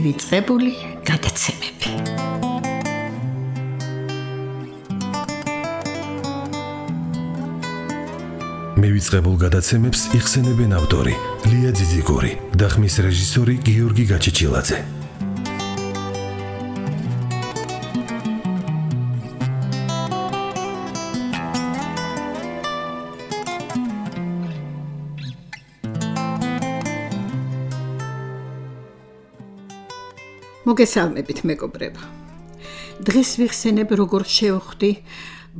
მივიწყებული გადაცემები. მივიწყებულ გადაცემებს იხსენებენ ავტორი ლია ძიძიგური და ხმის რეჟისორი გიორგი გაჩეჩილაძე. მოგესალმებით მეგობრებო. დღეს ვიხსენებ როგორ შევხვდი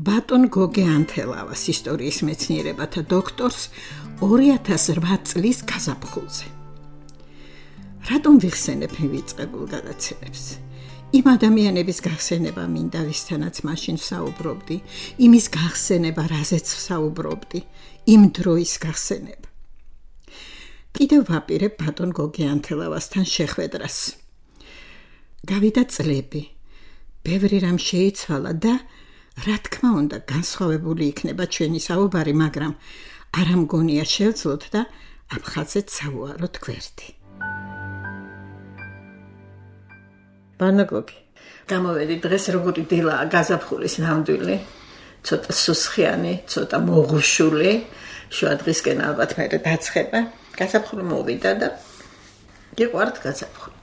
ბატონ გოგე ანთელავას ისტორიის მეცნიერებათა დოქტორს 2008 წლის გაზაფხულზე. რატომ ვიხსენებ მივიწყებულ გადაცემებს? იმ ადამიანების გახსენება მინდა, ვისთანაც მაშინ ვსაუბრობდი, იმის გახსენება, რაზეც ვსაუბრობდი, იმ დროის გახსენება. კიდევ ვაპირებ ბატონ გოგე ანთელავასთან შეხვედრას. გავიდა წლები, ბევრი რამ შეიცვალა და რა თქმა უნდა განსხვავებული იქნება ჩვენი საუბარი, მაგრამ არ ამგონია შევძლოთ და ამ ხაზეთ სავუაროთ გვერდი. ბატონო გოგი, გამოვედი დღეს როგორი დილაა გაზაფხულის ნამდვილი, ცოტა სუსხიანი, ცოტა მოღუშული, შუა დღისკენ ალბათ მე დაცხება. გაზაფხული მოვიდა და გიყვართ გაზაფხული.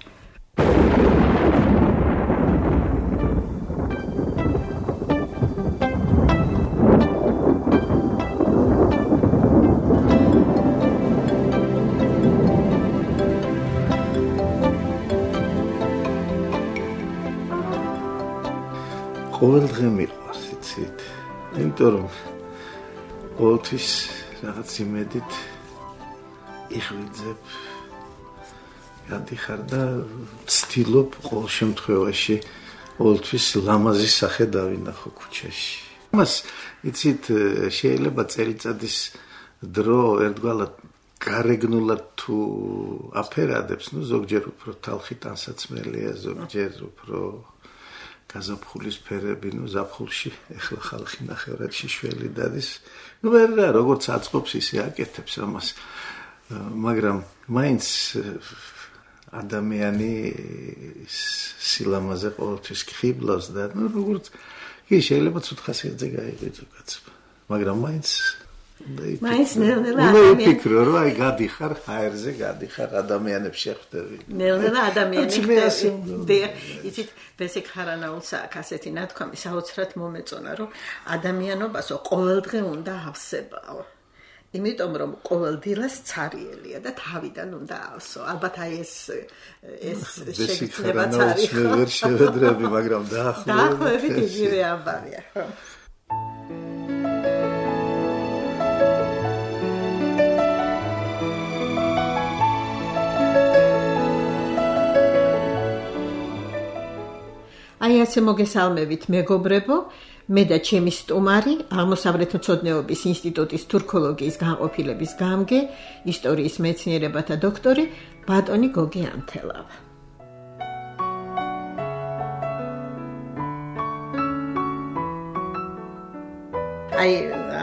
ყოველ დღე მიყვარს, იცით? იმიტომ რომ ყოველთვის რაღაც იმედით იღვიძებ, გადიხარ და ვცდილობ ყოველ შემთხვევაში ყოველთვის ლამაზი სახე დავინახო ქუჩაში. ამას, იცით, შეიძლება წელიწადის დრო ერთგვარად გარეგნულად თუ აფერადებს, ზოგჯერ უფრო თალხი ტანსაცმელია, ზოგჯერ უფრო გაზაფხულის ფერები, ზაფხულში ეხლა ხალხი ნახევრად შიშველი დადის. ვერ რა, როგორც აწყობს ისე აკეთებს ამას. მაგრამ მაინც ადამიანი სილამაზე ყოველთვის ხიბლავს და როგორც კი შეიძლება ცუდ ხასიათზე გაიღვიძო კაცმა. მაგრამ მაინც ნელ-ნელა ვიფიქრო, რომ აი გადიხარ ჰაერზე, გადიხარ ადამიანებს შეხვდები. ნელ-ნელა ადამიანებს შეხვდები. იცით, ბესიკ ხარანაულს აქ ასეთი ნათქვამი საოცრად მომეწონა, რომ ადამიანობასო ყოველდღე უნდა ავსებაო. იმიტომ რომ ყოველ დილას цаრიელია და თავიდან უნდა ავსო. ალბათ აი ეს შეგიძლიათ არის. მე ვერ შევედრები, მაგრამ დაახლოებით იგივე ამბავია, ხო? აი ასე მოგესალმებით მეგობრებო, მე და ჩემი სტუმარი, აღმოსავლეთმცოდნეობის ინსტიტუტის თურქოლოგიის განყოფილების გამგე, ისტორიის მეცნიერებათა დოქტორი ბატონი გოგე ანთელავა. აი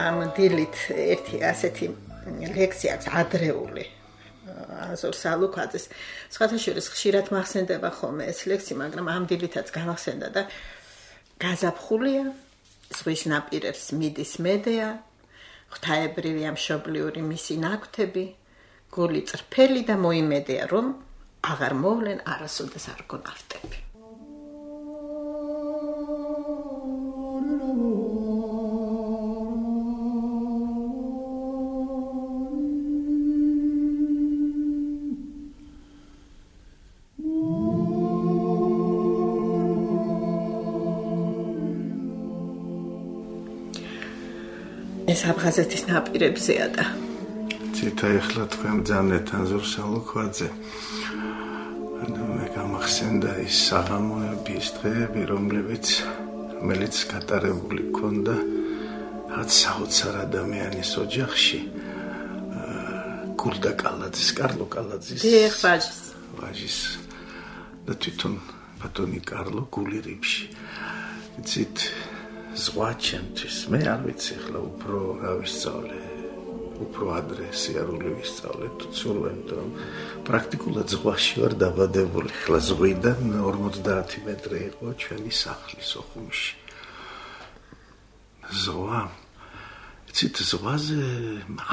ამ დილით ერთი ასეთი ლექსია აქვს ადრეული. აზორ სალუქვაძეს. სხვათაშორის ხშირად მახსენდება ხოლმე ეს ლექსი, მაგრამ ამ დილითაც გამახსენდა და გაზაფხულია, ზღვის ნაპირებს მიდის მედეა, ღვთაებრივია მშობლიური მისი ნაკვთები, გული წრფელი და მოიმედეა, რომ აღარ მოვლენ არასოდეს არ გონავტები. ეს აფხაზეთის ნაპირებზეა და ციტა ეხლა თქვენ ბრძანეთ აზორ სალუქვაძე. მე გამახსენდა ის საღამოების დღეები, რომელიც გატარებული ქონდა რაც საოცარ ადამიანის ოჯახში. გულდა კალაძის, კარლო კალაძის ვაჟის და თვითონ ბატონი კარლო გული რიფში. იცით, ზღვა ჩემთვის, მე არ ვიცი ახლა უფრო რა ვისწავლე. უფრო ადრე სიარული ვისწავლე თუ ცურვა, იმიტომ რომ პრაქტიკულად ზღვაში ვარ დაბადებული. ხლა ზღვიდან 50 მეტრი იყო ჩვენი სახლი სოხუმში. ზღვა ცით ზღვაზე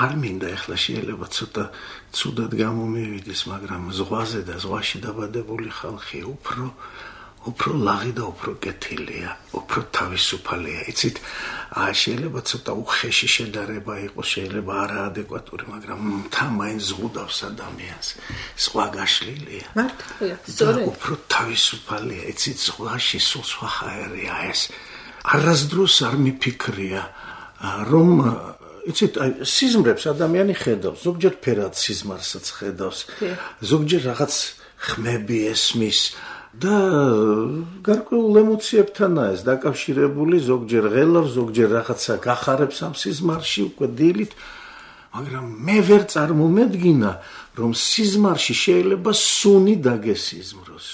არ მინდა ეხლა შეიძლება ცოტა ცუდად გამომივიდეს, მაგრამ ზღვაზე და ზღვაში დაბადებული ხალხი უფრო ლაღი და უფრო კეთილია, უფრო თავისუფალია. იცით, შეიძლება ცოტა უხეში შედარება იყოს, შეიძლება არაადეკვატური, მაგრამ მაინც ზღუდავს ადამიანს. სხვა გაშლილია. მართალია, სწორედ. უფრო თავისუფალია. იცით, ზღვაში სულ სხვა ჰაერია ეს. არასდროს არ მიფიქრია, რომ იცით, სიზმრებს ადამიანი ხედავს, ზოგჯერ ფერად სიზმარსაც ხედავს, ზოგჯერ რაღაც ხმები ესმის და გარკვეულ ემოციებთანაა ეს დაკავშირებული, ზოგჯერ ღელავს, ზოგჯერ რაღაცა გახარებს ამ სიზმარში უკვე დილით, მაგრამ მე ვერ წარმომედგინა, რომ სიზმარში შეიძლება სუნი დაგესიზმროს.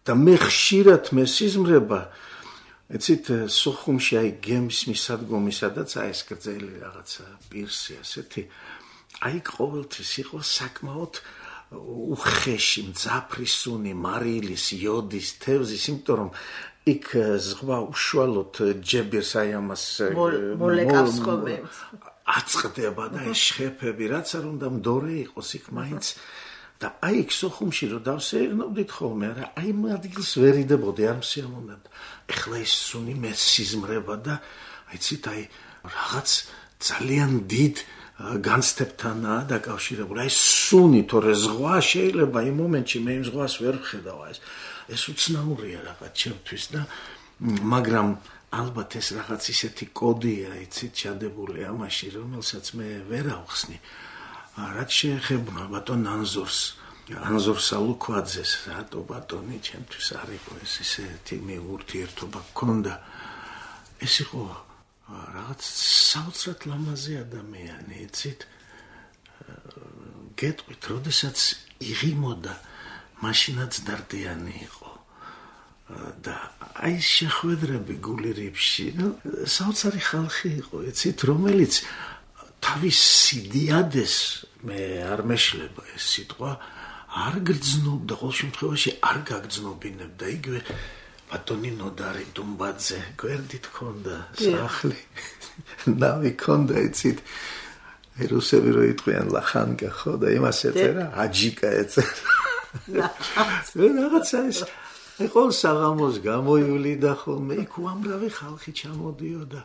და მე ხშირად მესიზმრება იცით, სოხუმში აი გემის მისადგომი, სადაც ეს გრძელი რაღაცა პირსი ასეთი, აი ყოველთვის იყო საკმაოდ უხეში, მძაფრი სუნი, მარილის, იოდის, თევზის, იმიტომ რომ იქ ზღვა უშუალოდ ჯებირს აი ამას მოლეკავს ხოლმე. აწყდება და ეს შეფები, რაც არ უნდა მდორე იყოს იქ მაინც და აი იქ სოხუმში რომ დავსეირნობდით ხოლმე, არა, აი იმ ადგილს ვერ იდებოდი, არ მსიამოვნებდა. ეხლა ის სუნი მე სიზმრება და აიცით, აი რაღაც ძალიან დიდ განცდებთანაა დაკავშირებული. აი სუნი, თორე ზღვა შეიძლება იმ მომენტში მე იმ ზღვას ვერ ვხედავ, ეს უცნაურია რაღაც ჩემთვის და მაგრამ ალბათ ეს რაღაც ისეთი კოდია, იცით, ჩადებული ამაში, რომელსაც მე ვერ ავხსნი. რაც შეეხება ბატონ ანზორ სალუქვაძეს, რატო ბატონი ჩემთვის არ იყო ეს ისეთი ურთიერთობა გქონდა. ეს იყო რაღაც საოცრად ლამაზი ადამიანი, იცით, გეტყვით, როდესაც იღიმოდა, მაშინაც დარდიანი იყო. და აი შეხვედრები გული რიფში, საოცარი ხალხი იყო, იცით, რომელიც თავის სიდიადეს მე არ მეშლება ეს სიტყვა, არ გრძნობდა, ყოველ შემთხვევაში არ გაგრძნობინებდა. იგივე ბატონი ნოდარი დუმბაძე, გვერდით ჰქონდა სახლი, ნავი ჰქონდა, იცით, რუსები რო იტყვიან ლახანკა, ხო და იმას ეწერა, აჯიკა ეწერა. რაღაცა ეს ყოველ საღამოს გამოივლიდა ხოლმე, იქ უამრავი ხალხი ჩამოდიოდა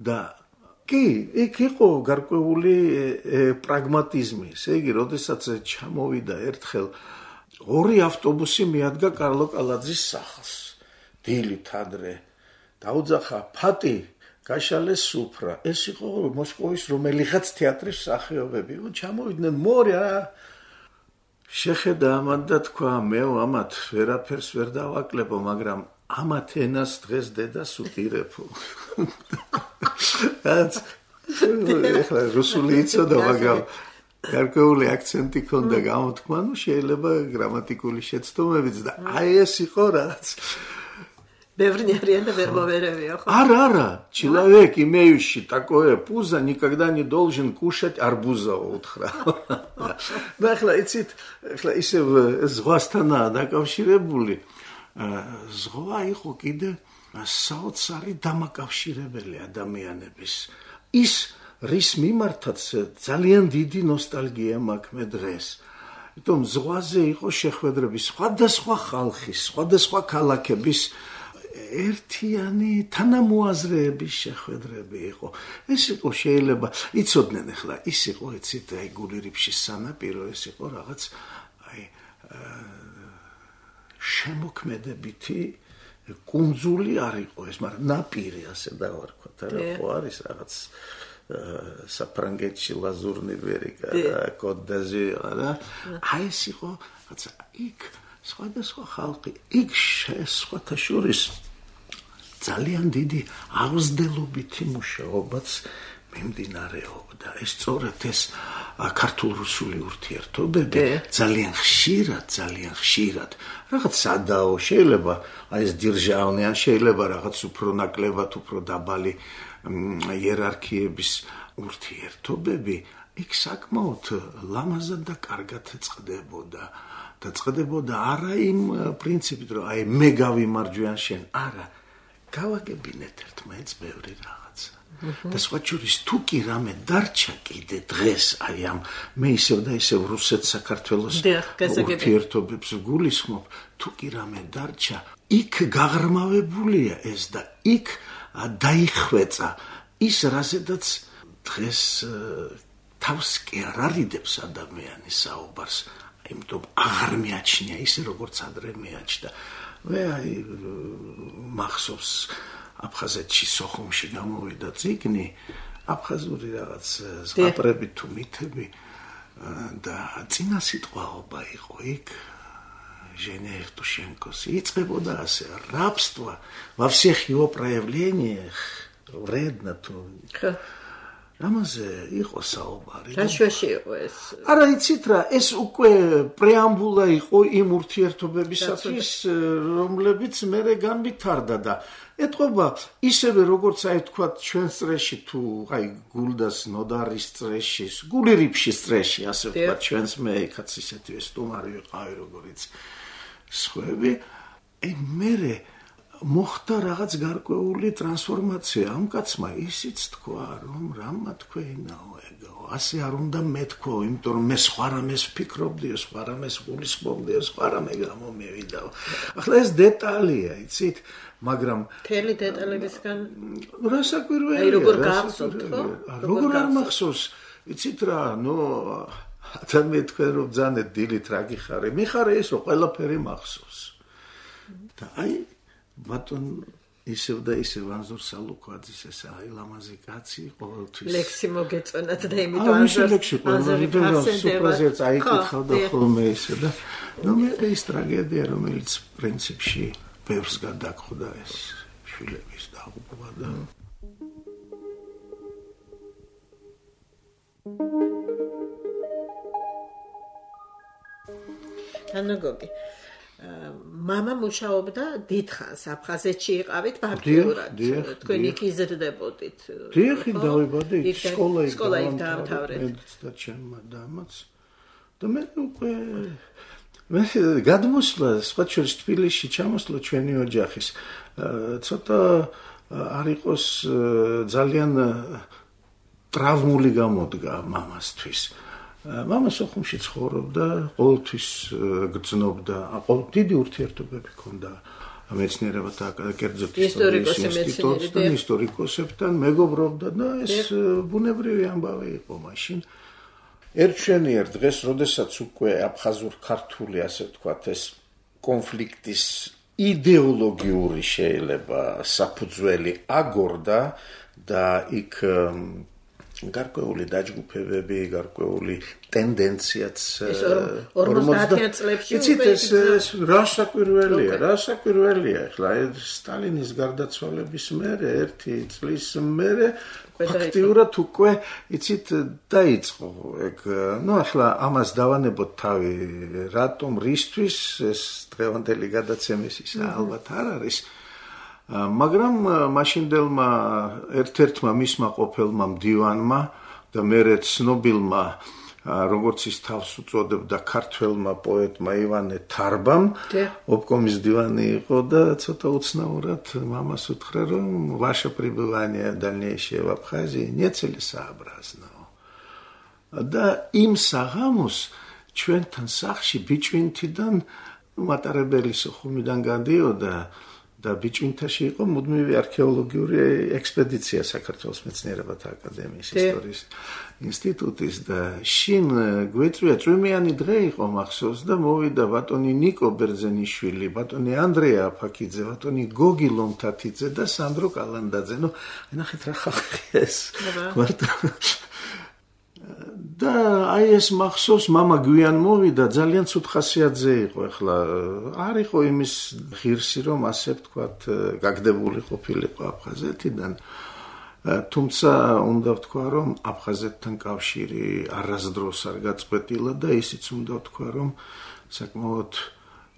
და კი, იქ იყო გარკვეული პრაგმატიზმი. ესე იგი, როდესაც ჩამოვიდა ერთხელ 2 ავტობუსი მიადგა კარლო კალაძის სახლს. დილით ადრე დაუძახა ფატი, გაშალეს სუფრა. ეს იყო მოსკოვის რომელიღაც თეატრის მსახიობები. ჩამოვიდნენ მორე შეხედა ამათ და თქვა, მე ამათ ვერაფერს ვერ დავაკლებო, მაგრამ ამათ ენას დღეს დედას უპირებო. ეხლა რუსული იცოდა, მაგრამ გარკვეული აქცენტი ჰქონდა გამოთქმა, შეიძლება გრამატიკული შეცდომებიც და აი ეს იყო რაც Ბევრი არიან და ვერ მოვერევია, ხო? Ара, человек, имеющий такое пузо, никогда не должен кушать арбуза утра. და ახლა იცით, ახლა ისევ ზღვასთანაა დაკავშირებული. ზღვა იყო კიდე საოცარი დამაკავშირებელი ადამიანების. ის რის მიმართაც ძალიან დიდი ნოსტალგია მაქვს მე დღეს. იმიტომ ზღვაზე იყო შეხვედრები სხვადასხვა ხალხის, სხვადასხვა ქალაქების ერთიანი თანამოაზრეების შეხვედრები იყო. ეს იყო შეიძლება იცოდნენ ახლა, ის იყო იცით, აი გული რიფშის სანაპირო, ეს იყო რაღაც აი შემოქმედებითი კუნძული არ იყო ეს, მაგრამ ნაპირი ასე დავარქვათ, არა ხო არის რაღაც საფრანგეთში ლაზურნი ვერიკა და კოდ-დაზირი და აი ეს იყო რაც იქ სხვადასხვა ხალხი იქ სხვათა შორის ძალიან დიდი აღზრდელობითი მუშაობაც მიმდინარეობდა. ეს სწორედ ეს ქართულ-რუსული ურთიერთობები ძალიან ხშირად რაღაც სადაო შეიძლება აი ეს დირჟავნი ან შეიძლება რაღაც უფრო ნაკლებად უფრო დაბალი იერარქიების ურთიერთობები იქ საკმაოდ ლამაზად და კარგად წყდებოდა და წყდებოდა არა იმ პრინციპით რომ აი მე გავიმარჯვე ან შენ არა გავაგებინეთ ერთმანეთს ბევრი რაღაცა და სხვა შორის თუ კი რამე დარჩა კიდე დღეს აი ამ მე ისევ და ისევ რუსეთ საქართველოს ურთიერთობებს გულისხმობ თუ კი რამე დარჩა იქ გაღრმავებულია ეს და იქ დაიხვეწა ის რაზედაც დღეს თავს კი არ არიდებს ადამიანის საუბარს იმიტომ აღარ მიაჩნია ისე როგორც ადრე მიაჩნდა მე აი მახსოვს აფხაზეთში სოხუმში გამოვიდა წიგნი აფხაზური რაღაც ზღაპრები თუ მითები და წინა სიტყვაობა იყო იქ Женя Евтушенкос იწყებოდა ასე рабство во всех его проявлениях вредно то ამაზე იყო საუბარი. რაშუაში იყო ეს? არა იცით რა, ეს უკვე პრეამბულა იყო იმ ურთიერთობებისათვის, რომლებიც მერე განვითარდა და ეთყობა ისევე როგორც აი თქვა ჩვენს წრეში თუ აი გულდას ნოდარის წრეში, გული რიფშის წრეში, ასე ვთქვა ჩვენს მე იქაც ისეთი სტუმარი ვიყავი როგორც სხვები, აი მერე მოხდა რაღაც გარკვეული ტრანსფორმაცია ამ კაცმა ისიც თქვა რომ რამა თქვენაო ეგო ასე არ უნდა მეთქო იმიტომ რომ მე სხვა რამეს ვფიქრობდიო სხვა რამეს გულისხმობდიო სხვა რამე გამომივიდაო ახლა ეს დეტალია იცით მაგრამ მთელი დეტალებისგან რა საკვირველია აი როგორ გახსოვთ ხო როგორ არ მახსოვს იცით რა ნუ ადამიანი თქვენ რომ ძანეთ დილით რა გიხარე მიხარე ის რომ ყველაფერი მახსოვს და აი ბატონ ისევ და ისევ ანზორ სალუკვაძის ეს აი ლამაზი კაცი ყოველთვის ლექსი მოგეწონათ და იმიტომ ანზორი სუპრაზერც აიკითხავდა ხოლმე ისე და ნუ მე ეს ტრაგედია რომელიც პრინციპში ბევრს გადაგხვდა ეს შვილების დაღუპვა და თანაგოგი მამა მუშაობდა დიდხანს აფხაზეთში იყავით ფაქტიურად თქვენ იქ იზრდებოდით დიახ დავიბადე სკოლა იქ დაამთავრეთ და ჩემმა დამაც და მე უკვე მე გადმოსვლა სხვა შორის თბილისში ჩამოსვლა ჩვენი ოჯახის ცოტა არ იყოს ძალიან ტრავმული გამოდგა მამასთვის მამა სოხუმში ცხოვრობდა, ყოველთვის გრძნობდა, დიდი ურთიერთობები ჰქონდა მეცნიერებათა კერძოდ ისტორიკოსებთან, ისტორიკოსებთან მეგობრობდა და ეს ბუნებრივი ამბავი იყო მაშინ. ერთშენიერ დღეს, როდესაც უკვე აფხაზურ-ქართული, ასე ვთქვათ, ეს კონფლიქტის იდეოლოგიური შეიძლება საფუძველი აგორდა და იქ გარკვეული დაჯგუფებები, გარკვეული ტენდენციაც 50 წლებში იცით ეს რა საკვირველია ახლა სტალინის გარდაცვალების მერე ერთი წლის მერე ფაქტიურად უკვე იცით დაიწყო ეგ ნუ ახლა ამას დავანებოთ თავი რატომ რისთვის ეს დღევანდელი გადაცემის ის ალბათ არ არის მაგრამ მაშინდელმა ერთ-ერთმა მისმა ყოფილმა მდივანმა და მერე ცნობილმა როგორც ის თავს უწოდებდა ქართველმა პოეტმა ივანე თარბამ ობკომის მდივანი იყო და ცოტა უცნაურად მამას უთხრა რომ ვаше пребывание дальнейшее в Абхазии нецелесообразно და იმ საღამოს ჩვენთან სახლში ბიჭვინთიდან მატარებელი სოხუმიდან გადიოდა და ბიჭვინთაში იყო მუდმივი არქეოლოგიური ექსპედიცია საქართველოს მეცნიერებათა აკადემიის ისტორიის ინსტიტუტის და შინ გვეწვია წვიმიანი დღე იყო მახსოვს და მოვიდა ბატონი ნიკო ბერძენიშვილი, ბატონი ანდრეა აფაკიძე, ბატონი გოგი ლომთათიძე და სანდრო კალანდაძე. ნუ ნახეთ რა ხალხია ეს. და აი ეს მახსოვს მამა გვიან მოვიდა ძალიან ცუდ ხასიათზე იყო ახლა არ იყო იმის ღირსი რომ ასე ვთქვათ გაგდებული ყოფილიყო აფხაზეთიდან თუმცა უნდა ვთქვა, რომ აფხაზეთთან კავშირი არასდროს არ გაწყვეტილა და ისიც უნდა ვთქვა, რომ საკმაოდ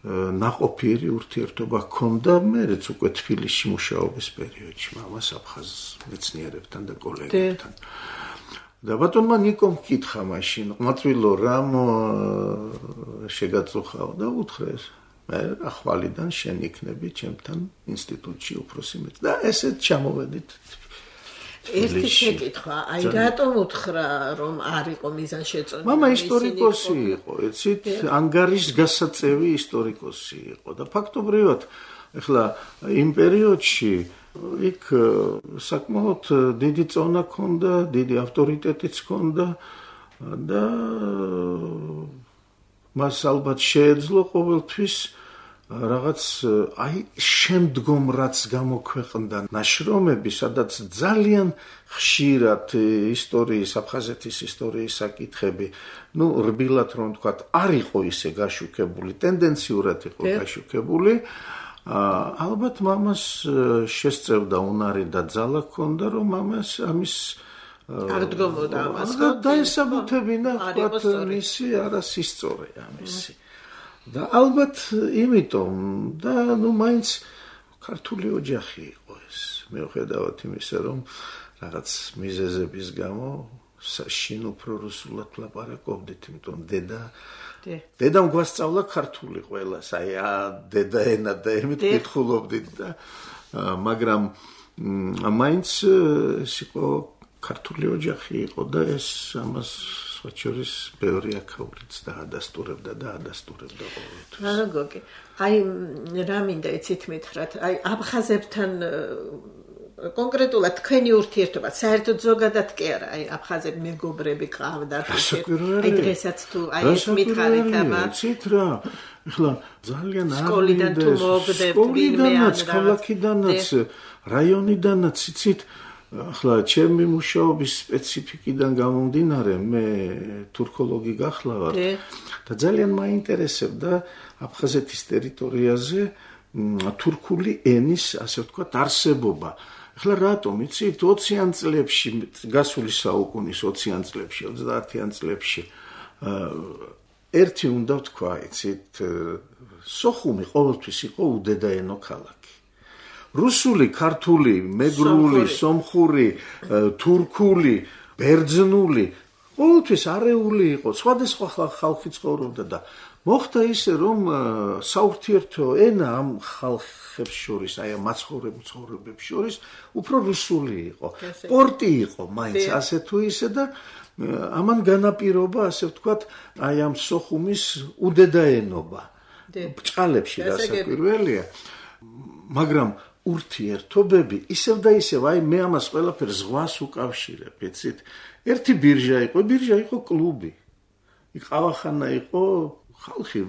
ნაყოფიერი ურთიერთობა ჰქონდა მეც უკვე თბილისში მუშაობის პერიოდში მამას აფხაზ მეცნიერებთან და კოლეგებთან. და ბატონმა ნიკომ კითხა მაშინ, მაწვილო რამ შეგაწუხაო და უთხრეს, მე ახვალიდან შენ იქნები ჩემთან ინსტიტუტში უფროსი მეც და ესეც ჩამოვედით. ერთი შეკითხვა, აი რატომ უთხრა რომ არ იყო მიზანშეწონილი? მამა ისტორიკოსი იყო, ეცით ანგარის გასაწევი ისტორიკოსი იყო და ფაქტობრივად ეხლა იმ პერიოდში იქ საკმაოდ დიდი წონა ჰქონდა, დიდი ავტორიტეტიც ჰქონდა და მას ალბათ შეეძლო ყოველთვის რაღაც აი შემდგომ რაც გამოქვეყნდა ნაშრომები, სადაც ძალიან ხშირად ისტორიის, აფხაზეთის ისტორიის საკითხები, რბილად რომ ვთქვათ, არ იყო ისე გაშუქებული, ტენდენციურად იყო გაშუქებული. ალბათ მამას შესწევდა უნარი და ძალა ჰქონდა, რომ მამას ამის არ დგომოდა ამას. დაესაბუთებინა, ვთქვათ, მისი არასისწორე ამისი. და ალბათ იმიტომ და მაინც ქართული ოჯახი იყო ეს. მიუხედავად იმისა, რომ რაღაც მიზეზების გამო შინ უფრო რუსულად ლაპარაკობდით, იმიტომ დედამ გვასწავლა ქართული ყველას, აი დედა ენა და ემით კითხულობდით და მაგრამ მაინც ეს იყო ქართული ოჯახი იყო და ეს ამას შორის ბევრი აქაურიც დაადასტურებდა ყოველთვის. რა გოგი, აი რა მინდა იცით მითხრათ, აი აფხაზებთან კონკრეტულად თქვენი ურთიერთობა საერთოდ ზოგადად კი არა, აი აფხაზები მეგობრები ყავდათ, აი დღესაც თუ აი ეს მითხარით აბა იცით რა, ეხლა ძალიან არ სკოლიდან თუ მოგდებთ ვინმე ან ქალაქიდანაც რაიონიდანაც იცით ახლა ჩემი მუშაობის სპეციფიკიდან გამომდინარე მე თურქოლოგი გახლავართ და ძალიან მაინტერესებდა აფხაზეთის ტერიტორიაზე თურქული ენის ასე ვთქვათ არსებობა. ახლა რატომ იცით 20-იან წლებში გასული საუკუნის 20-იან წლებში 30-იან წლებში ერთი უნდა ვთქვა იცით სოხუმი ყოველთვის იყო უდედაენო ქალაქი. რუსული, ქართული, მეგრული, სომხური, თურქული, ბერძნული, ყოველთვის არეული იყო, სხვადასხვა ხალხი ცხოვრობდა და მოხდა ისე, რომ საურთიერთო ენა ამ ხალხებს შორის, აი ამ მაცხოვრებებს შორის, უფრო რუსული იყო. პორტი იყო მაინც ასე თუ ისე და ამან განაპირობა, ასე ვთქვათ, აი ამ სოხუმის უდედაენობა. ბჭყალებში დასაკვირველია, მაგრამ ურთიერთობები ისევ და ისევ აი მე ამას ყველაფერს ზღვას უკავშირებ, იცით? ერთი ბირჟა იყო კლუბი. იყავახანა იყო ხალხი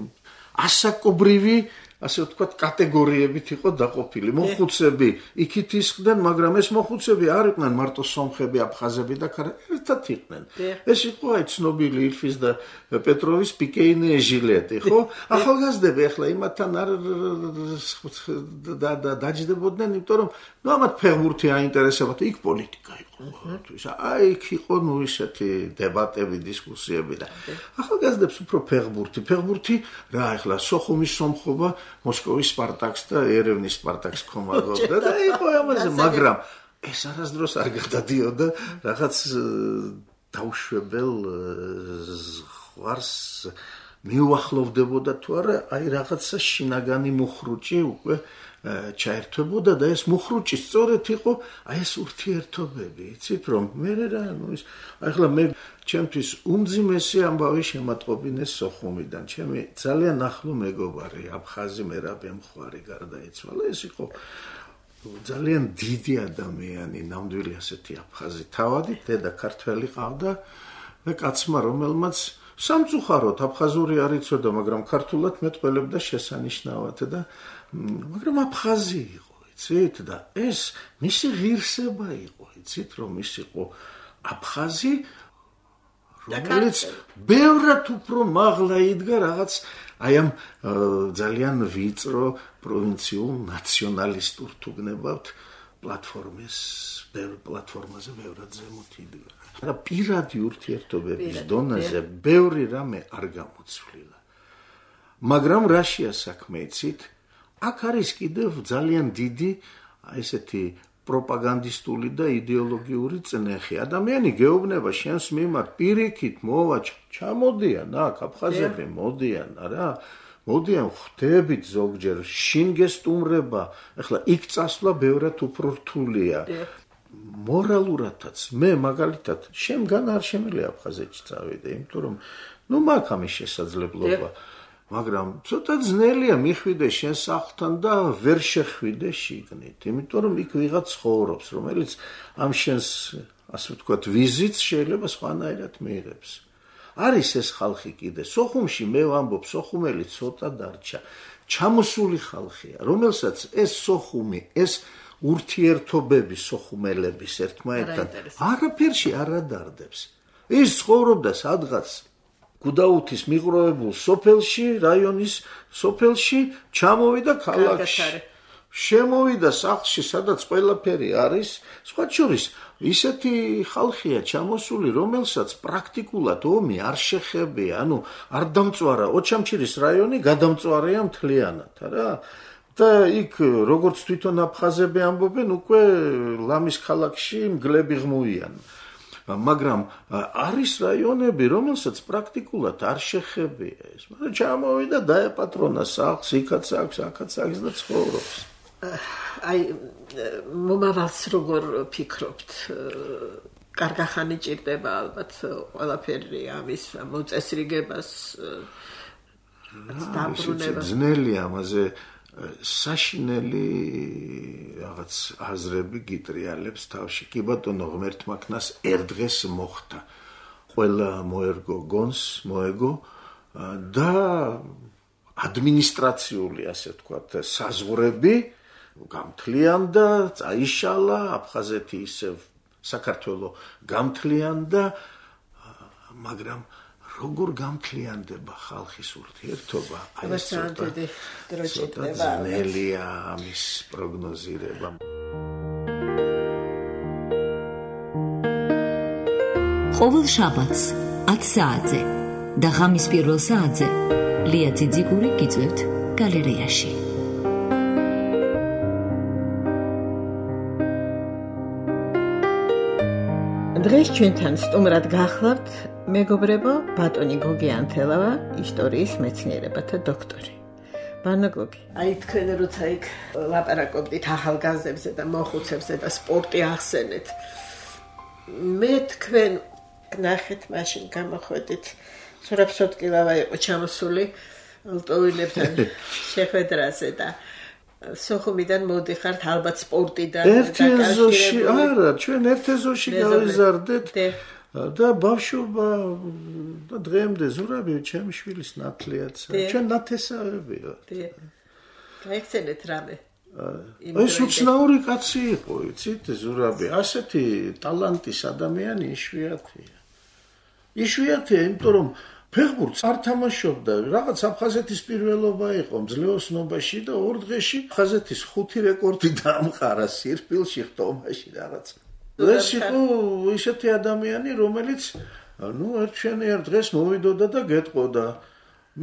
ასაკობრივი, ასე ვთქვათ, კატეგორიებით იყო დაყოფილი. მოხუცები იქით ისხდნენ, მაგრამ ეს მოხუცები არ იყვნენ მარტო სომხები, აფხაზები და ერთად იყვნენ. ეს იყო აი ცნობილი ილფის და პეტროვის პიკეინე ჟილეტი, ხო? ახალგაზრდები ახლა იმათთან არ დაჯდებოდნენ, იმიტომ რომ ამათ ფეხბურთი აინტერესებათ, იქ პოლიტიკა იყო. აი იქ იყო ისეთი დებატები, დისკუსიები და ახალგაზრდებს უფრო ფეხბურთი რა ახლა სოხუმის სომხობა მოსკოვის სპარტაკს და ერევნის სპარტაკს ხომაგობდა და იყო ამაზე, მაგრამ ეს არასდროს არ გადადიოდა რაღაც დაუშვებელ ზღვარს მიუახლოვდებოდა თუ არა, აი რაღაცა შინაგანი მუხრუჭი უკვე ჩაერთვებოდა და ეს მუხრუჭი სწორედ იყო აი ეს ურთიერთობები, იცით რომ მე რა ის ახლა მე ჩემთვის უმძიმესი ამბავი შემატყობინეს სოხუმიდან, ჩემი ძალიან ახლო მეგობარი აფხაზი მერაბ ემხვარი გარდაიცვალა, ეს იყო ძალიან დიდი ადამიანი, ნამდვილი ასეთი აფხაზი თავადი, დედა ქართველი ყავდა და კაცმა რომელმაც სამწუხაროდ აფხაზური არ იცოდა, მაგრამ ქართულად მეტყველებდა შესანიშნავად და მაგრამ აფხაზი იყო, იცით? და ეს მისი ღირსება იყო, იცით, რომ ის იყო აფხაზი, რომელიც ბევრად უფრო მაღლა იდგა რაღაც აი ამ ძალიან ვიწრო პროვინციულ ნაციონალისტურ თუ გნებავთ პლატფორმაზე ბევრად ზემოთ იდგა. მაგრამ პირადი ურთიერთობების დონეზე ბევრი რამე არ გამოცვლილა. მაგრამ რაშია საქმე იცით? აქ არის კიდევ ძალიან დიდი ესეთი პროპაგანდისტული და იდეოლოგიური წნეხი. ადამიანი გეუბნება შენს მიმართ პირიქით მოვა ჩამოდიან აქ აფხაზები მოდიან რა. მოდიან ხვდებით ზოგჯერ შინ გესტუმრება. ეხლა იქ წასვლა ბევრად უფრო რთულია. მორალურადაც მე მაგალითად შემგან არ შემიძლია აფხაზეთში წავიდე, იმიტომ რომ მაქვს ამის შესაძლებლობა. მაგრამ ცოტა ძნელია მიხვიდე შენ სახლთან და ვერ შეხვიდე შიგნით, იმიტომ რომ იქ ვიღაც ცხოვრობს, რომელიც ამ შენს, ასე ვთქვათ, ვიზიტს შეიძლება სხვანაირად მიიღებს. არის ეს ხალხი კიდე. სოხუმში მე ვამბობ, სოხუმელი ცოტა დარჩა. ჩამოსული ხალხია, რომელსაც ეს სოხუმი, ეს ურთიერთობები სოხუმელების ერთმანეთთან არაფერში არ ადარდებს. ის ცხოვრობდა სადღაც გუდაუთის მიყროებულ სოფელში, რაიონის სოფელში, ჩამოვიდა ქალაქში. შემოვიდა სახლში, სადაც ყველაფერი არის, სხვა შორის ისეთი ხალხია ჩამოსული, რომელსაც პრაქტიკულად ომი არ შეხებია, არ დამწვარა ოჩამჩირის რაიონი, გადამწვარია მთლიანად, რა. და იქ როგორც თვითონ აფხაზები ამბობენ, უკვე ლამის ქალაქში მგლები ღმუიან. მაგრამ არის რაიონები, რომელსაც პრაქტიკულად არ შეხებია ეს. მაგრამ ჩამოვიდა დაეპატრონა სახლს, იქაც აქვს, აქაც აქვს და ცხოვრობს. აი მომავალს როგორ ფიქრობთ? კარგახანი ჭირდება ალბათ ყველაფერი ამის მოწესრიგებას დაბრუნებას. ძნელია ამაზე საშინელი რაღაც აზრები გიტრიალებს თავში. კი ბატონო, ღმერთმა ქნას ერთ დღეს მოხდა. ყველა მოერგო გონს, მოეგო და ადმინისტრაციული, ასე ვთქვათ, საზღვრები გამთლიანდა, წაიშალა, აფხაზეთი ისევ საქართველო გამთლიანდა, მაგრამ როგორ გამთლიანდება ხალხის ურთიერთობა? აი ეს ცოტა ძნელია ამის პროგნოზირება. ყოველ შაბათს 10 საათზე და ღამის პირველ საათზე ლია ძიძიგური გიწევთ გალერეაში. დღეს ჩვენთან სტუმრად გახლავთ მეგობრებო ბატონი გოგი ანთელავა, ისტორიის მეცნიერებათა დოქტორი. ბანა გოგი, აი თქვენ როცა იქ ლაპარაკობდით ახალგაზრდებზე და მოხუცებზე და სპორტი ახსენეთ, მე თქვენ ნახეთ მაშინ გამოხვედით სურაბ-სოტკილავა იყო ჩამოსული ლტოვილებთან შეხვედრაზე და სოხუმიდან მოდიხართ ალბათ სპორტიდან ერთი ეზოში არა ჩვენ ერთ ეზოში გავიზარდეთ და ბავშვობა და დღემდე ზურაბი ჩემი შვილის ნათლიაც ჩვენ ნათესავები ვართ გაიხსენეთ რამე ეს უცნაური კაცი იყო იცით ზურაბი ასეთი ტალანტის ადამიანი იშვიათია იმიტომ რომ ფეხბურთს არ თამაშობდა, რაღაც აფხაზეთის პირველობა იყო მძლეოსნობაში და ორ დღეში აფხაზეთის 5 რეკორდი დაამყარა სირფილში ხტომაში რაღაც. ეს იყო ისეთი ადამიანი, რომელიც ერთ დღეს მოვიდოდა და გეტყოდა.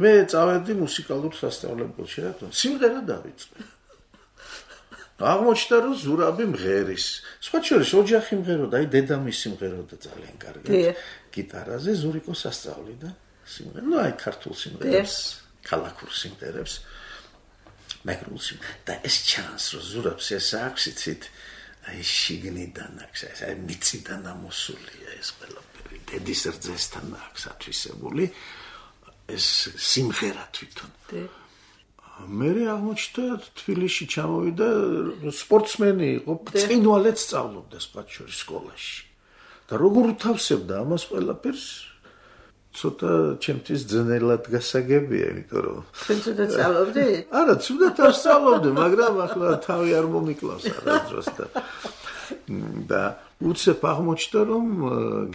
მე წავედი მუსიკალურ სასწავლებელში, რატომ? სიმღერა დავიწყე. აღმოჩნდა რომ ზურაბი მღერის. სხვა შორის ოჯახი მღეროდა, აი დედამისი მღეროდა ძალიან კარგად. გიტარაზე ზურიკო სასწავლიდა. აი ქართულ სიმღერებს, ქალაქურ სიმღერებს, მეგრულ სიმღერებს და ეს ჩანს რომ ზურაბს ეს აქვს იცით აი შიგნიდან აქვს აი მიწიდან ამოსულია ეს ყველაფერი დედის რძესთან აქვს ათვისებული ეს სიმღერა თვითონ მე აღმოჩნდა თბილისში ჩამოვიდა სპორტსმენი იყო წინვალეთ სწავლობდა სხვა შორის სკოლაში და როგორ უთავსებდა ამას ყველაფერს ცოტა ჩემთვის ძნელად გასაგებია, იმიტომ რომ თქვენ ცუდად სწავლობდით? არა, ცუდად არ სწავლობდი, მაგრამ ახლა თავი არ მომიკლავს არასდროს და უცებ აღმოჩნდა რომ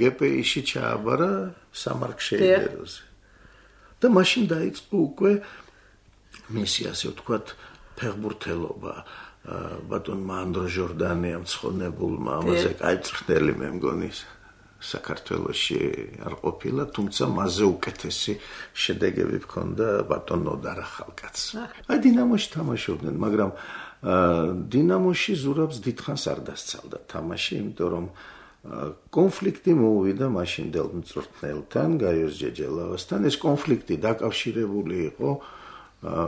GPI-ში ჩააბარა სამარკშეიდეროზე. და მაშინ დაიწყო უკვე მისი ასე ვთქვათ ფეხბურთელობა. ბატონმა ანდრო ჟორდანიამ ცხონებულმა ამაზე კაი წვრთნელი მე მგონი საქართველოში არ ყოფილა, თუმცა მასზე უკეთესი შედეგები ჰქონდა ბატონ ნოდარ ახალკაცს. აი დინამოში თამაშობდნენ, მაგრამ დინამოში ზურაბს დიდხანს არ დასცალდა თამაში, იმიტომ რომ კონფლიქტი მოუვიდა მაშინდელ მწვრთნელთან, გაიოს ჯეჯელავასთან. ეს კონფლიქტი დაკავშირებული იყო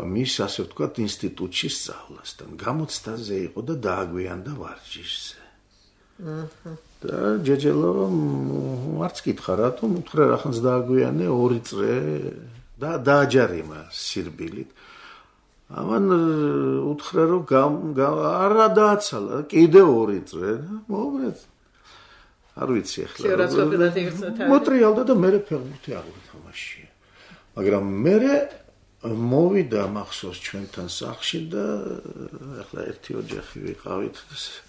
მის, ასე ვთქვათ, ინსტიტუტში სწავლასთან. გამოცდაზე იყო და დააგვიანდა ვარჯიშზე. და ჯეჯელავამ არც კითხა, რატომ უთხრა რახანს დააგვიანე 2 წრე და დააჯარიმა სირბილით. ამან უთხრა რომ არა დააცალა, კიდე 2 წრე და მოუბრეთ. არ ვიცი ახლა. მოტრიალდა და მე ფეხბურთი არ ვთამაშია. მაგრამ მე მოვიდა მახსოვს ჩვენთან სახლში და ახლა ერთი ოჯახი ვიყავით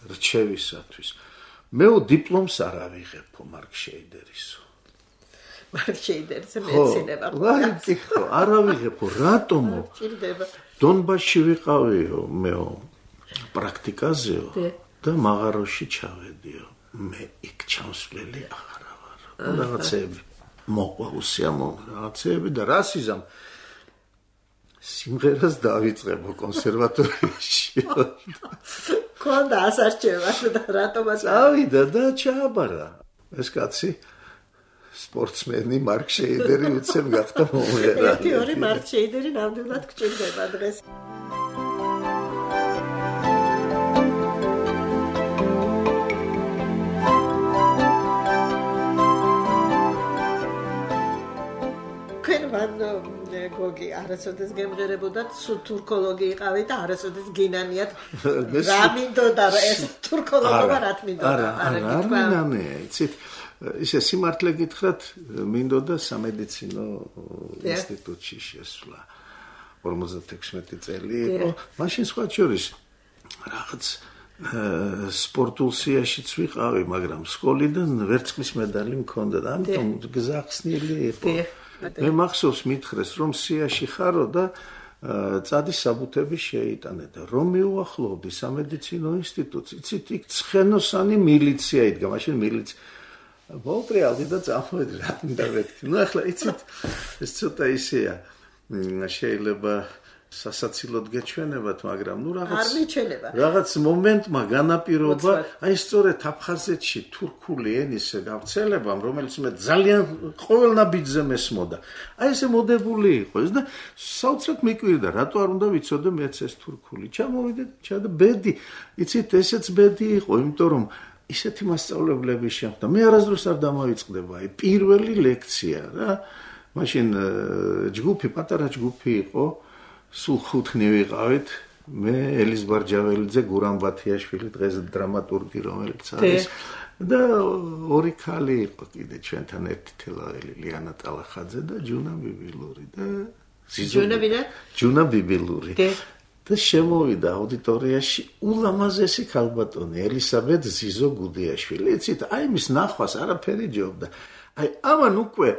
რჩევისათვის. მე დიპლომს არ ავიღებო მარკ შეიდერისო. მარკ შეიდერზე მეცნიერება. ხო, არ ავიღებო, რატომო? ჭირდება. დონბასში ვიყავიო მე პრაქტიკაზეო და მაღაროში ჩავედიო. მე იქ ჩამსვლელი აღარ ვარ. რაღაცები მოყვა უსიამოვნო რაღაცები და რასიზამ სიმღერას დავიწყებო კონსერვატორიაში. კონდა ასარჩევა და რატომაც ავიდა და ჩააბარა. ეს კაცი სპორტსმენი მარკ შეიდერი უცებ გახდა მომღერალი. ერთი ორი მარკ შეიდერი ნამდვილად გჭირდება დღეს. გოგი არასოდეს გემღერებოდათ თურქოლოგი იყავით და არასოდეს გინანიათ რა მინდოდა ეს თურქოლოგობა რა მინდოდა არა იცით ისე სიმართლე გითხრათ მინდოდა სამედიცინო ინსტიტუტში შესვლა 56 წელი იყო მაშინ სხვა შორის რაღაც სპორტულ სიაშიც ვიყავი მაგრამ სკოლიდან ვერცხლის მედალი მქონდა და ამიტომ გზახსნილი იყო მე მახსოვს მითხრეს რომ სიაში ხარო და წადი საბუთები შეიტანე და რომ მიუახლოვდი სამედიცინო ინსტიტუტს იცით იქ ცხენოსანი მილიცია იდგა მაშინ მილიცია მოვტრიალდი და წამოვედი რა მინდა ვეთქი ნუ ახლა იცით ეს ცოტა ისეა შეიძლება სასაცილოდ გეჩვენებათ მაგრამ ნუ რაღაც მომენტმა განაპირობა აი სწორედ აფხაზეთში თურქული ენის გავრცელებამ რომელიც მე ძალიან ყოველ ნაბიჯზე მესმოდა აი ესე მოდებული იყო ეს და საოცრად მიკვირდა რატო არ უნდა ვიცოდე მეც ეს თურქული ჩამოვიდე და ბედი იცით ესეც ბედი იყო იმიტომ რომ ისეთი მასწავლებლები შეხვდა მე არასდროს არ დამავიწყდება აი პირველი ლექცია რა მაშინ ჯგუფი პატარა ჯგუფი იყო სულ 5 ვიყავით მე ელის ბარჯაველიძე გურამ ბათიაშვილი დღეს დრამატურგი რომელიც არის და ორი ქალი იყო კიდე ჩვენთან ერთი თელაველი ლიანა ტალახაძე და ჯუნა ბიბილური და ჯუნა ბიბილური და შემოვიდა აუდიტორიაში ულამაზესი ქალბატონი ელისაბედ ზიზო გუდიაშვილი იცით აი მის ნახვას არაფერი ჯობდა აი ამან უკვე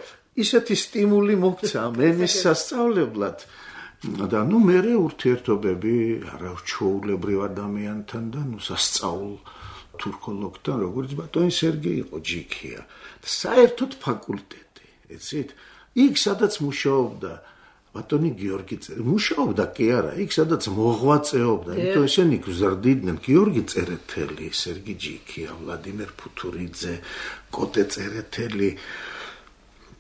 ისეთი სტიმული მოგცა მენის სასწავლებლად და ნუ მე ურთიერთობები არაჩვეულებრივ ადამიანთან და ნუ სასწაულ თურქოლოგთან როგორც ბატონი სერგეი იყო ჯიქია და საერთოდ ფაკულტეტი იცით იქ სადაც მუშაობდა ბატონი გიორგი მუშაობდა კი არა იქ სადაც მოღვაწეობდა იმიტომ ესენი გზარდიდნენ გიორგი წერეთელი სერგი ჯიქია ვლადიმერ ფუთურიძე კოტე წერეთელი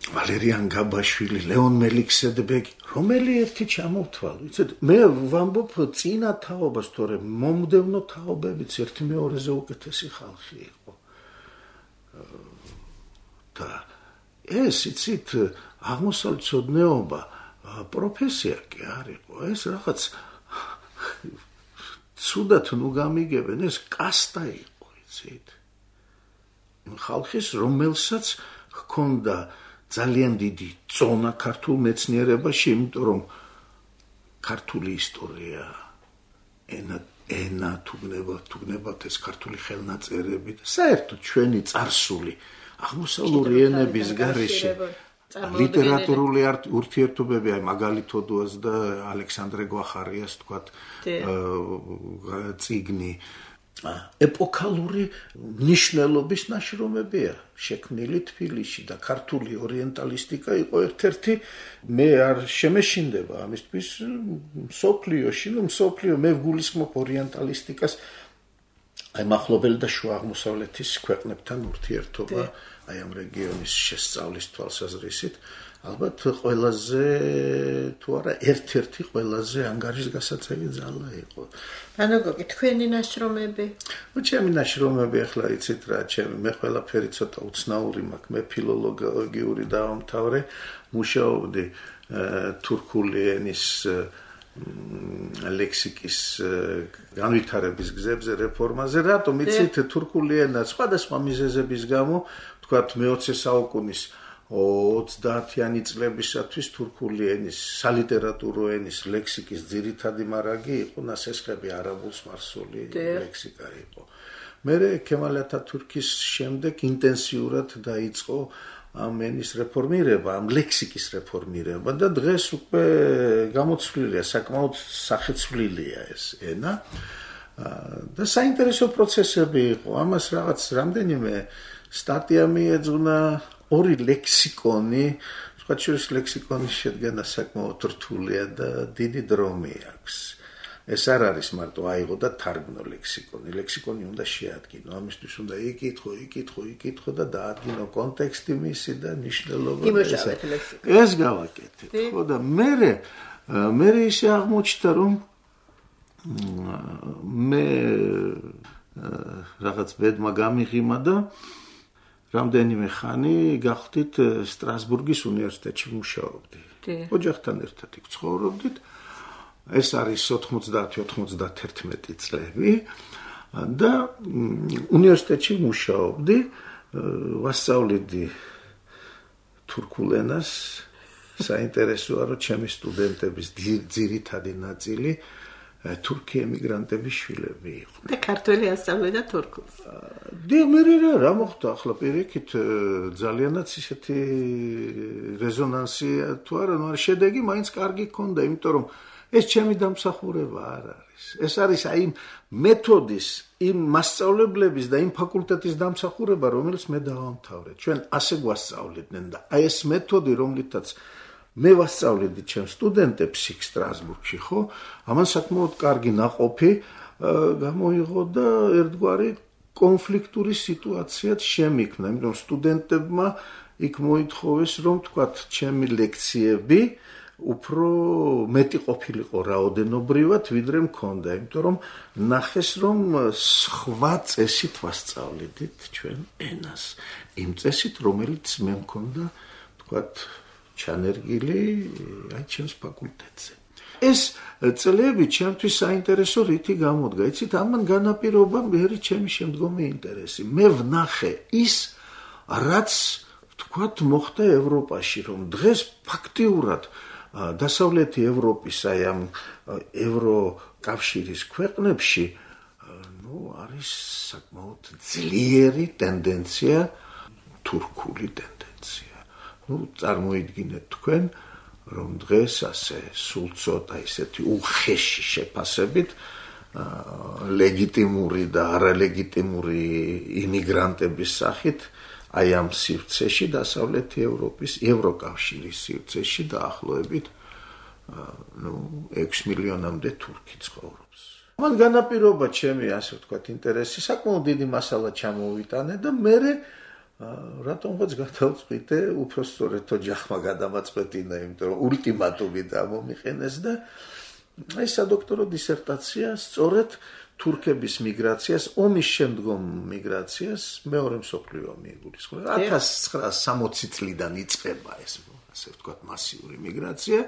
ვალერიან გაბაშვილი, ლეონ მელიქსედბეგი, რომელი ერთი ჩამოვთვალ, ვიცით, მე ვამბობ წინა თაობას, თორემ მომდევნო თაობებიც ერთი მეორეზე უკეთესი ხალხი იყო. და ეს, იცით, აღმოსავლეთმცოდნეობა პროფესია კი არ იყო, ეს რაღაც ცუდად ნუ გამიგებენ, ეს კასტა იყო, იცით. ხალხის, რომელსაც ჰქონდა ძალიან დიდი წონა ქართულ მეცნიერებაში, იმიტომ რომ ქართული ისტორია, ენა თუგნებათ ეს ქართული ხელნაწერები და საერთოდ ჩვენი წარსული აღმოსავლური ენების გარეშე ლიტერატურული ურთიერთობები, აი მაგალითოდუას და ალექსანდრე გვახარიას თქვათ წიგნი ეპოქალური მნიშვნელობის ნაშრომებია შექმნილი თბილისში და ქართული ორიენტალისტიკა იყო ერთ-ერთი მე არ შემეშინდება ამისთვის მსოფლიო მე ვგულისხმობ ორიენტალისტიკას აი მახლობელი და შუა აღმოსავლეთის ქვეყნებთან ურთიერთობა აი ამ რეგიონის შესწავლის თვალსაზრისით ალბათ ყველაზე თუ არა ერთ-ერთი ყველაზე ანგარიშგასაწევი ძალა იყო. ანუ გოგი თქვენი ნაშრომები? ჩემი ნაშრომები ახლა იცით რა, მე ყველაფერი ცოტა უცნაური მაქვს, მე ფილოლოგიური დავამთავრე, მუშაობდი თურქული ენის ლექსიკის განვითარების გზებზე რეფორმაზე, რატომ იცით თურქული ენა სხვადასხვა მიზეზების გამო, თქვათ მე-20 საუკუნის 30-იანი წლებისათვის თურქული ენის სალიტერატურო ენის ლექსიკის ძირითადი მარაგი იყო ნასესხები არაბულ სპარსული ლექსიკა იყო. მერე ქემალ ათათურქის შემდეგ ინტენსიურად დაიწყო ამ ენის რეფორმირება, ამ ლექსიკის რეფორმირება და დღეს უკვე გამოცვლილია, საკმაოდ სახეცვლილია ეს ენა და საინტერესო პროცესები იყო. ამას რაღაც რამდენიმე სტატია მიეძღვნა ორი ლექსიკონი, სხვა შორის ლექსიკონის შედგენა საკმაოდ რთულია და დიდი დრომი აქვს. ეს არ არის მარტო აიღო და თარგმნო ლექსიკონი. ლექსიკონი უნდა შეადგინო, ამისთვის უნდა იკითხო და დაადგინო კონტექსტი მისი და ნიშნულობა. ეს გავაკეთეთ. ხო და მე ისე აღმოჩნდა რომ მე რაღაც ბედმა გამიღიმა და რამდენიმე ხანი გახდით სტრასბურგის უნივერსიტეტში მუშაობდი. ოჯახთან ერთად იქ ცხოვრობდით. ეს არის 90-91 წლები და უნივერსიტეტში მუშაობდი, ვასწავლედი თურქულ ენას. საინტერესოა, რომ ჩემი სტუდენტების ძირითადი ნაწილი თურქი ემიგრანტების შვილები იყვნენ. და ქართველი ასწავლიდა თურქულს. მე რა მოხდა ახლა პირიქით ძალიანაც ისეთი რეზონანსი თუ არა, შედეგი მაინც კარგი ჰქონდა, იმიტომ რომ ეს ჩემი დამსახურება არ არის. ეს არის აი იმ მეთოდის, იმ მასწავლებლების და იმ ფაკულტეტის დამსახურება, რომელიც მე დავამთავრე. ჩვენ ასე გვასწავლიდნენ და აი ეს მეთოდი, რომლითაც მე ვასწავლედი ჩემს სტუდენტებს იქ სტრასბურგში, ხო? ამან საკმაოდ კარგი ნაყოფი გამოიღო და ერთგვარი კონფლიქტური სიტუაციაც შემიქმნა, იმიტომ სტუდენტებმა იქ მოითხოვეს, რომ თქვათ, ჩემი ლექციები უფრო მეტი ყოფილიყო რაოდენობრივად, ვიდრე მქონდა, იმიტომ რომ ნახეს, რომ სხვა წესით ვასწავლედით ჩვენ ენას. იმ წესით, რომელიც მე მქონდა, თქვათ, ჩანერგილი აი ჩემს ფაკულტეტზე. ეს წლები ჩემთვის საინტერესო რითი გამოდგა. იცით, ამან განაპირობა მერი ჩემი შემდგომი ინტერესი. მე ვნახე ის, რაც თქვათ მოხდა ევროპაში, რომ დღეს ფაქტიურად დასავლეთი ევროპის აი ამ ევროკავშირის ქვეყნებში არის საკმაოდ ძლიერი ტენდენცია, თურქული ტენდენცია. წარმოიდგინეთ თქვენ, რომ დღეს ასე სულ ცოტა ისეთი უხეში შეფასებით ლეგიტიმური და არალეგიტიმური იმიგრანტების სახით აი ამ სივრცეში დასავლეთი ევროპის ევროკავშირის სივრცეში დაახლოებით 6 მილიონამდე თურქი ცხოვრობს. მან განაპირობა ჩემი ასე ვთქვათ ინტერესი, საკმაოდ დიდი მასალა ჩამოვიტანე და მე რატომღაც გადავწყვიტე უფრო სწორედ ოჯახმა გადამაწყვეტინა, იმიტომ რომ ულტიმატუმი დამომიყენეს და აი სადოქტორო დისერტაცია სწორედ თურქების მიგრაციას, ომის შემდგომ მიგრაციას მეორე მსოფლიო ომი იგულისხმება. 1960 წლიდან იწყება ეს ასე ვთქვათ მასიური მიგრაცია.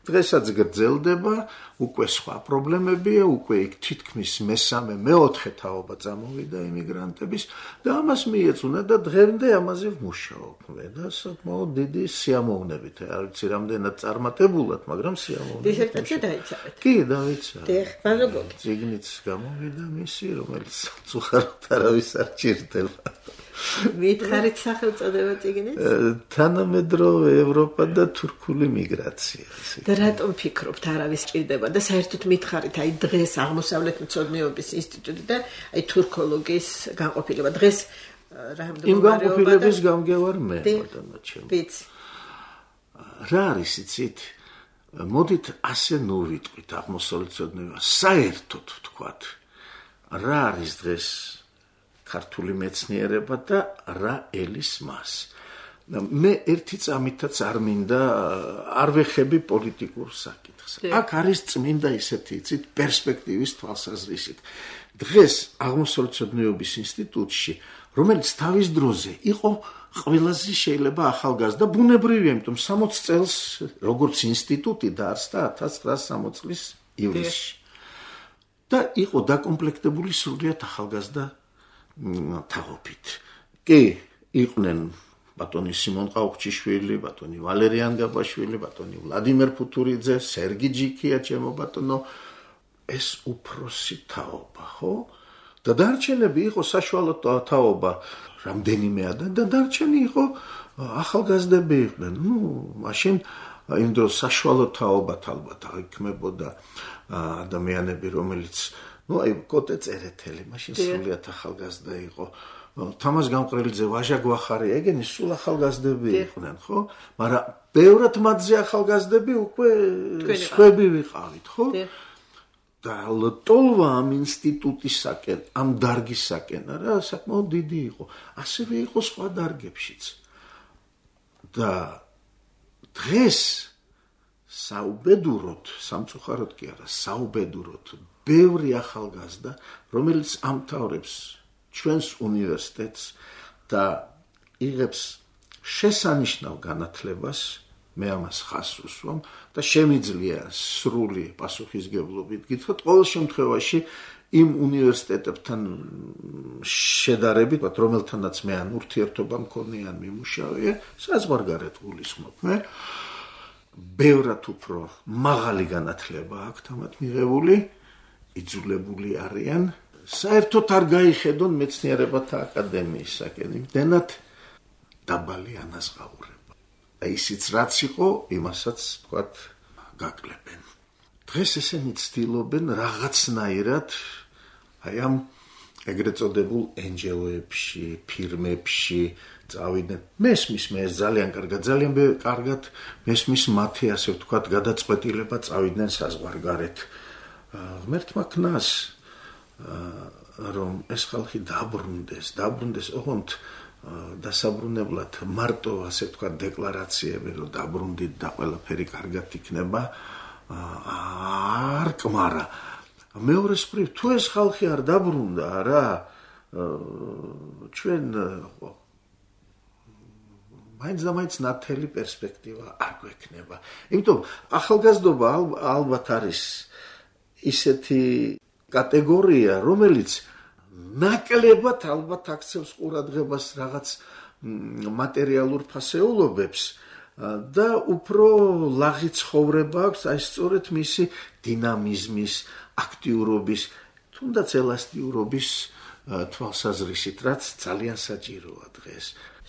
დღესაც გრძელდება, უკვე სხვა პრობლემებია, უკვე იქ თითქმის მე-4 თაობა წამოვიდა იმიგრანტების და ამას მიეწუნა და დღემდე ამაზე ვმუშაობ და საკმაოდ დიდი სიამოვნებით, არ ვიცი რამდენად წარმატებულად, მაგრამ სიამოვნებით. დისერტაცია დაიცავეთ? კი, დავიცავე. ბაზოგოგი. წიგნიც გამოვიდა მისი, რომელიც უხაროდ არავის არ ჭირდება. მითხარით სახელწოდება წიგნის? თანამედროვე ევროპა და თურქული მიგრაცია. და რატომ ფიქრობთ არავის ჭირდება და საერთოდ მითხარით აი დღეს აღმოსავლეთ მცოდნეობის ინსტიტუტი და აი თურქოლოგიის განყოფილება დღეს რა იმ განყოფილების გამგევარ მე ბატონო ჩემო. ვიცი. რა არის იცით? მოდით ასე ნოვიტყვით აღმოსავლეთ მცოდნეობა საერთოდ ვთქვათ. რა არის დღეს ქართული მეცნიერება და რა ელის მას. მე ერთი წამითაც არ მინდა არ ვეხები პოლიტიკურ საკითხს. აქ არის წმინდა ისეთი იცით პერსპექტივის თვალსაზრისით. დღეს აღმოსავლეთ მცოდნეობის ინსტიტუტში, რომელიც თავის დროზე იყო ყველაზე შეიძლება ახალგაზრდა ბუნებრივია, იმიტომ 60 წელს როგორც ინსტიტუტი დაარსდა 1960 წლის ივლისში. და იყო დაკომპლექტებული სრულიად ახალგაზრდა თაობით. კი, იყვნენ ბატონი სიმონ ყაუხჩიშვილი, ბატონი ვალერიან გაბაშვილი, ბატონი ვლადიმერ ფუთურიძე, სერგი ჯიქია, ჩემო ბატონო, ეს უფროსი თაობა, ხო? და დარჩენები იყო საშუალო თაობა, რამდენიმე და დარჩენი იყო ახალგაზრდები იყვნენ. მაშინ იმ დროს საშუალო თაობათ ალბათ აიქმებოდა ადამიანები, რომელიც აი კოტე წერეთელი, მაშინ სრულიად ახალგაზრდა იყო. თამაზ გამყრელიძე, ვაჟა გვახარი, ეგენი სულ ახალგაზრდები იყვნენ, ხო? მაგრამ ბევრად მათზე ახალგაზრდები უკვე სხვები ვიყავით, ხო? და ლტოლვა ამ ინსტიტუტისაკენ, ამ დარგისაკენ, რა საკმაოდ დიდი იყო. ასევე იყო სხვა დარგებშიც. და დღეს საუბედუროდ, სამწუხაროდ კი არა, საუბედუროდ ბევრი ახალგაზრდა, რომელიც ამთავრებს ჩვენს უნივერსიტეტს და იღებს შესანიშნავ განათლებას, მე ამას ხაზს უსვამ და შემიძლია სრული პასუხისგებლობით გითხრათ, ყოველ შემთხვევაში იმ უნივერსიტეტებთან შედარებით, რომელთანაც მე ან ურთიერთობა მქონია, ან მიმუშავია, საზღვარგარეთ გულისხმობ მე. ბევრად უფრო მაღალი განათლება აქვს თამათ მიღებული, იძულებული არიან საერთოდ არ გაიხედონ მეცნიერებათა აკადემიისაკენ, იმდენად დაბალი ანაზღაურება. და ისიც რაც იყო, იმასაც თქვათ გაკლებენ. დღეს ესენი ცდილობენ რაღაცნაირად აი ამ ეგრეთ წოდებულ NGO-ებში, ფირმებში წავიდნენ. მესმის მე ძალიან კარგად მესმის მათი ასე ვთქვათ გადაწყვეტილება წავიდნენ საზღვარგარეთ. ღმერთმა ქნას რომ ეს ხალხი დაბრუნდეს, ოღონდ დასაბრუნებლად მარტო ასე ვთქვათ დეკლარაციები რომ დაბრუნდით და ყველაფერი კარგად იქნება არ კმარა. მეორე მხრივ თუ ეს ხალხი არ დაბრუნდა რა ჩვენ მაინც ნათელი პერსპექტივა არ გვექნება. იმიტომ ახალგაზრდობა ალბათ არის ისეთი კატეგორია, რომელიც ნაკლებად ალბათ აქცევს ყურადღებას რაღაც მატერიალურ ფასეულობებს და უფრო ლაღი ცხოვრება აქვს აი სწორედ მისი დინამიზმის, აქტიურობის, თუნდაც ელასტიურობის თვალსაზრისით, რაც ძალიან საჭიროა დღეს.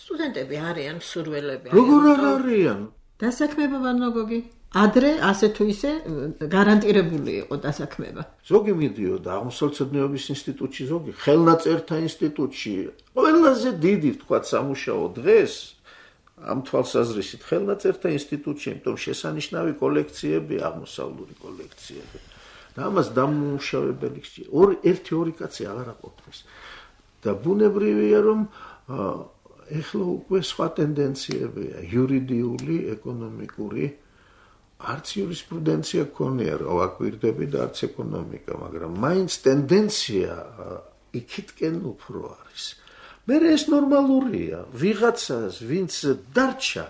სტუდენტები არიან, მსურველები როგორ არ არიან? დასაქმება ვანოგოგი ადრე ასე თუ ისე გარანტირებული იყო დასაქმება. ზოგი მიდიოდა აღმოსავლეთ მცოდნეობის ინსტიტუტში, ზოგი ხელნაწერთა ინსტიტუტში. ყველაზე დიდი თქვა სამუშაო დღეს ამ თვალსაზრისით ხელნაწერთა ინსტიტუტში, იმიტომ შესანიშნავი კოლექციები, აღმოსავლური კოლექციები. და ამას დამუშავებელი ერთი კაცი აღარ აყოფნის. და ბუნებრივია რომ ეხლა უკვე სხვა ტენდენციებია, იურიდიული, ეკონომიკური, არც იურისპრუდენცია ქონია, რომ აკვირდები და არც ეკონომიკა, მაგრამ მაინც ტენდენცია იქითკენ უფრო არის. მე ეს ნორმალურია, ვიღაცას, ვინც დარჩა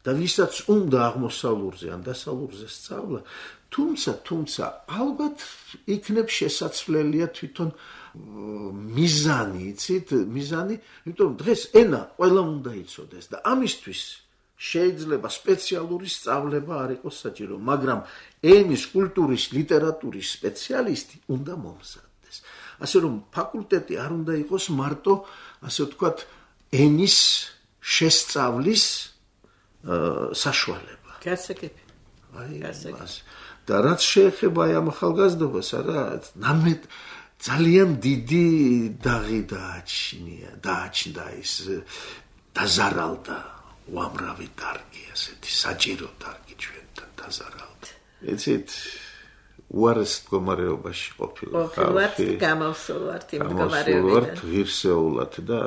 და ვისაც უნდა აღმოსავლურზე ან დასავლურზე სწავლა, თუმცა ალბათ იქნებ შესაძლებელია თვითონ მიზანი, იცით, იმიტომ დღეს ენა ყველა უნდა იცოდეს და ამისთვის შეიძლება სპეციალური სწავლება არ იყოს საჭირო, მაგრამ ენის, კულტურის, ლიტერატურის სპეციალისტი უნდა მომზადდეს. ასე რომ ფაკულტეტი არ უნდა იყოს მარტო, ასე ვთქვათ, ენის შესწავლის საშუალება. გასაგები. და რაც შეეხება აი ამ ახალგაზრდობას, არა, ნამდვილად ძალიან დიდი დაღი დააჩნდა ის დაზარალდა უამრავი დარგი, ასეთი საჭირო დარგი ჩვენთან დაზარალდა. იცით, უარეს მდგომარეობაში ყოფილა ხალხი. გამავსულვართ იმ მდგომარეობიდან. ღირსეულად და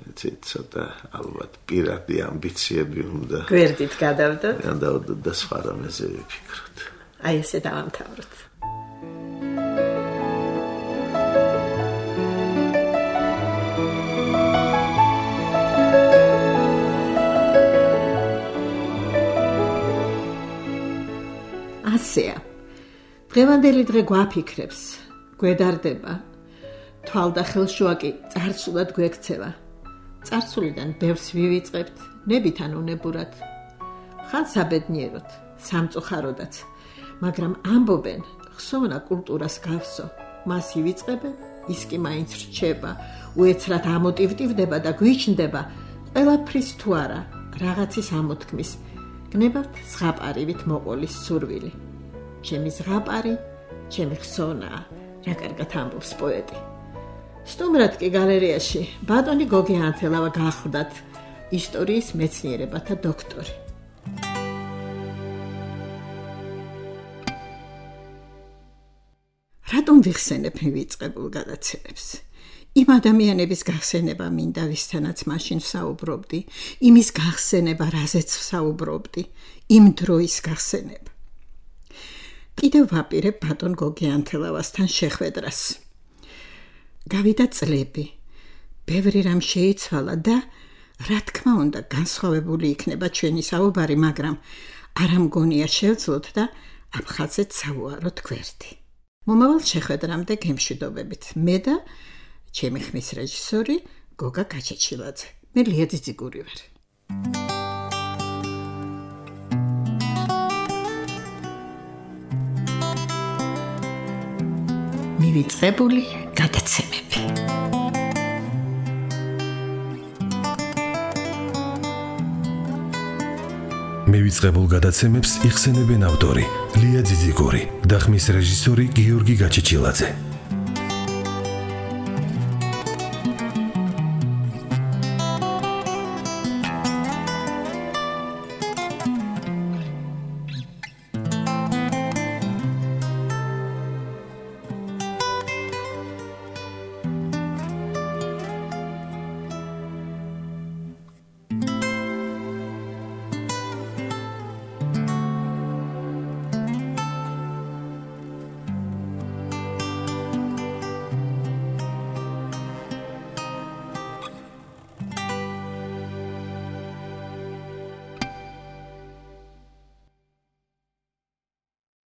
იცით, ცოტა ალბათ პირადი ამბიციები უნდა. გვერდით გადავდოთ. გადავდოთ და სხვა რამეზე ვიფიქროთ. აი ესე დავამთავროთ. ასეა. დღევანდელი დღე გვაფიქრებს, გვედარდება. თვალ და ხელშუა კი წარსულად გვექცევა. წარსულიდან ბევრს ვივიწყებთ, ნებიდან უნებურად. ხან საბედნიეროდ, სამწუხაროდაც, მაგრამ ამბობენ, ხსოვნა კულტურას გავსო, მას ივიწყებენ, ის კი მაინც რჩება, უეცრად ამოტივტივდება და გვიჩნდება, ყველაფრის თუ არა, რაღაცის ამოთქმის. გნებავთ ზღაპარივით მოყოლის სურვილი. ჩემი ზღაპარი, ჩემი ხსოვნაა, რა კარგად ამბობს პოეტი. სტუმრად კი გალერეაში ბატონი გოგი ანთელავა გახვდათ, ისტორიის მეცნიერებათა დოქტორი. რატომ ვიხსენებ მივიწყებულ გადაცემებს? იმ ადამიანების გახსენება მინდა, ვისთანაც მაშინ ვსაუბრობდი, იმის გახსენება, რაზეც ვსაუბრობდი, იმ დროის გახსენება. კიდევ ვაპირებ ბატონ გოგი ანთელავასთან შეხვედრას. გავიდა წლები, ბევრი რამ შეიცვალა და რა თქმა უნდა განსხვავებული იქნება ჩვენი საუბარი, მაგრამ არა მგონია შევძლოთ და ამ ხაზეც საუაროთ გვერდი. მომავალ შეხვედრამდე გემშვიდობებით. მე და ჩემი ხმის რეჟისორი გოგა გაჩეჩილაძე. მე ლია ძიძიგური ვარ. მივიწყებული გადაცემები. მივიწყებულ გადაცემებს იხსენებენ ავტორი ლია ძიძიგური და ხმის რეჟისორი გიორგი გაჩეჩილაძე.